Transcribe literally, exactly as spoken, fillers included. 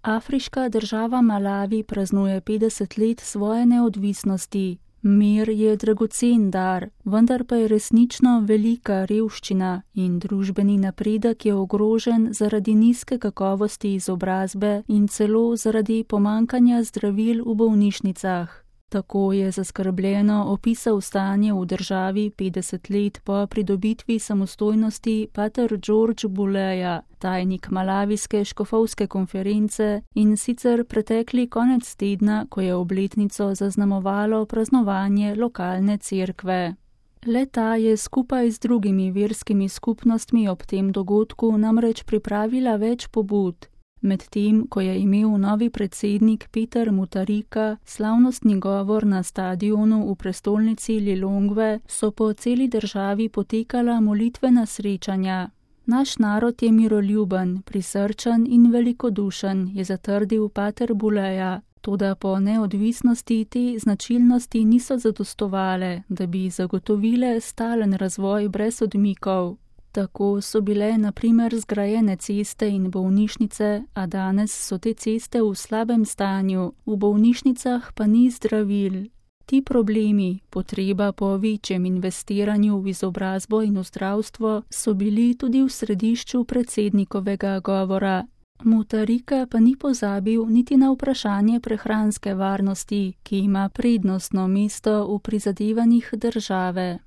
Afriška država Malavi praznuje petdeset let svoje neodvisnosti. Mir je dragocen dar, vendar pa je resnično velika revščina in družbeni napredek je ogrožen zaradi nizke kakovosti izobrazbe in celo zaradi pomanjkanja zdravil v bolnišnicah. Tako je zaskrbljeno opisal stanje v državi petdeset let po pridobitvi samostojnosti pater George Buleja, tajnik malavijske škofovske konference, in sicer pretekli konec tedna, ko je obletnico zaznamovalo praznovanje lokalne cerkve. Le-ta je skupaj z drugimi verskimi skupnostmi ob tem dogodku namreč pripravila več pobud. Medtem, ko je imel novi predsednik Peter Mutharika slavnostni govor na stadionu v prestolnici Lilongve, so po celi državi potekala molitvena srečanja. Naš narod je miroljuben, prisrčen in velikodušen, je zatrdil pater Buleja, toda po neodvisnosti te značilnosti niso zadostovale, da bi zagotovile stalen razvoj brez odmikov. Tako so bile na primer zgrajene ceste in bolnišnice, a danes so te ceste v slabem stanju, v bolnišnicah pa ni zdravil. Ti problemi, potreba po večjem investiranju v izobrazbo in v zdravstvo, so bili tudi v središču predsednikovega govora. Mutharika pa ni pozabil niti na vprašanje prehranske varnosti, ki ima prednostno mesto v prizadevanjih države.